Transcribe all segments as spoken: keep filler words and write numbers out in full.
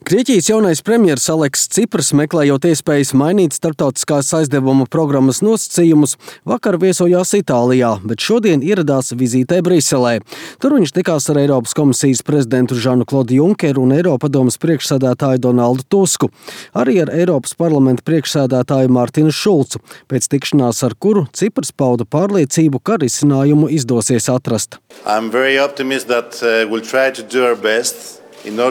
Grieķijas jaunais premjers Aleksis Cipras, meklējot iespējas mainīt starptautiskās aizdevuma programmas nosacījumus, vakar viesojās Itālijā, bet šodien ieradās vizītē Briselē. Tur viņš tikās ar Eiropas komisijas prezidentu Žanu Klodu Junkeru un Eiropadomes priekšsēdētāju Donaldu Tusku, arī ar Eiropas parlamenta priekšsēdētāju Mārtinu Šulcu, pēc tikšanās ar kuru Cipras pauda pārliecību, ka risinājumu izdosies atrast. I'm very optimistic that uh, we'll try to do our best. Esmu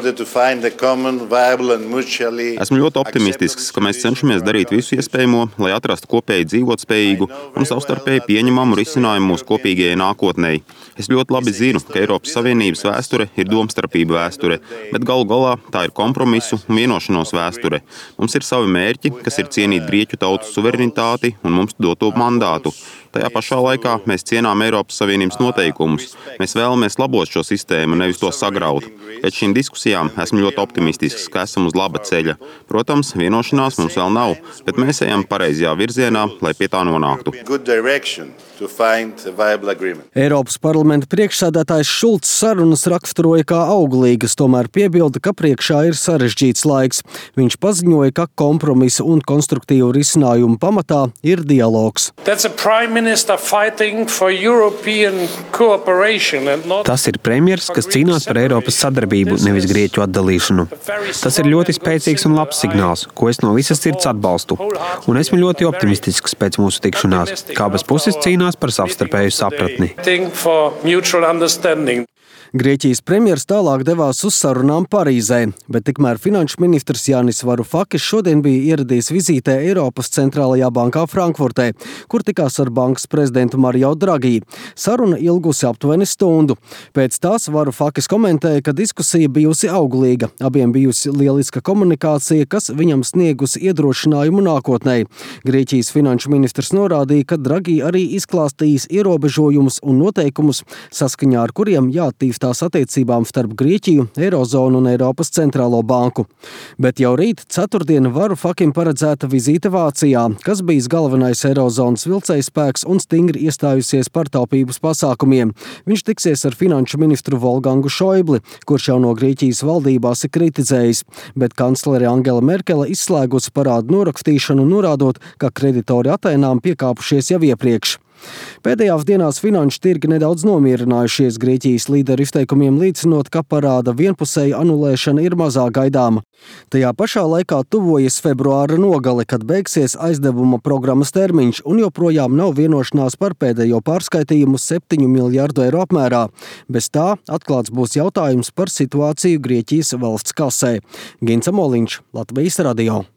ļoti optimistisks, ka mēs cenšamies darīt visu iespējamo, lai atrastu kopēji dzīvotspējīgu un savstarpēji pieņemamu risinājumu mūsu kopīgajai nākotnei. Es ļoti labi zinu, ka Eiropas Savienības vēsture ir domstarpība vēsture, bet galu galā tā ir kompromisu un vienošanos vēsture. Mums ir savi mērķi, kas ir cienīt Grieķu tautas suverenitāti un mums doto mandātu. Tajā pašā laikā mēs cienām Eiropas Savienības noteikumus. Mēs vēlamies labot šo sistēmu, nevis to sagraut. Pēc šīm diskusijām esmu ļoti optimistisks, ka esam uz laba ceļa. Protams, vienošanās mums vēl nav, bet mēs ejam pareizajā virzienā, lai pie tā nonāktu. Eiropas parlamenta priekšsēdētājs Šulcs sarunas raksturoja kā auglīgas, tomēr piebilda, ka priekšā ir sarežģīts laiks. Viņš paziņoja, ka kompromisa un konstruktīvu risinājumu pamatā ir dialogs. Tas ir premjers, kas cīnās par Eiropas sadarbību, nevis Grieķu atdalīšanu. Tas ir ļoti spēcīgs un labs signāls, ko es no visas sirds atbalstu. Un esmu ļoti optimistisks pēc mūsu tikšanās, kā abas puses cīnās par savstarpēju sapratni. Grieķijas premjers tālāk devās uz sarunām Parīzē, bet tikmēr finanšu ministrs Jānis Varufakis šodien bija ieradies vizītē Eiropas centrālajā bankā Frankfurtē, kur tikās ar bankas prezidentu Mario Draghi. Saruna ilgusi aptuveni stundu. Pēc tās Varufakis komentēja, ka diskusija bijusi auglīga, abiem bijusi lieliska komunikācija, kas viņam sniegusi iedrošinājumu nākotnē. Grieķijas finanšu ministrs norādīja, ka Draghi arī izklāstījis ierobežojumus un noteikumus, saskaņā ar kuriem jāattīstās tās attiecībām starp Grieķiju, Eirozonu un Eiropas centrālo banku. Bet jau rīt, ceturtdien, Varufakim paredzēta vizīte Vācijā, kas bijis galvenais Eirozonas vilcējspēks un stingri iestājusies par taupības pasākumiem. Viņš tiksies ar finanšu ministru Volgangu Šoibli, kurš jau no Grieķijas valdībās ir kritizējis, bet kanclere Angela Merkele izslēgusi parādu norakstīšanu, norādot, ka kreditori Atēnām piekāpušies jau iepriekš. Pēdējās dienās finanšu tirgi nedaudz nomierinājušies Grieķijas līderu izteikumiem līdzinot, ka parāda vienpusēja anulēšana ir mazāk gaidāma. Tajā pašā laikā tuvojas februāra nogale, kad beigsies aizdevuma programmas termiņš un joprojām nav vienošanās par pēdējo pārskaitījumu septiņu miljardu eiro apmērā. Bez tā atklāts būs jautājums par situāciju Grieķijas valsts kasē. Gints Amoliņš, Latvijas radio.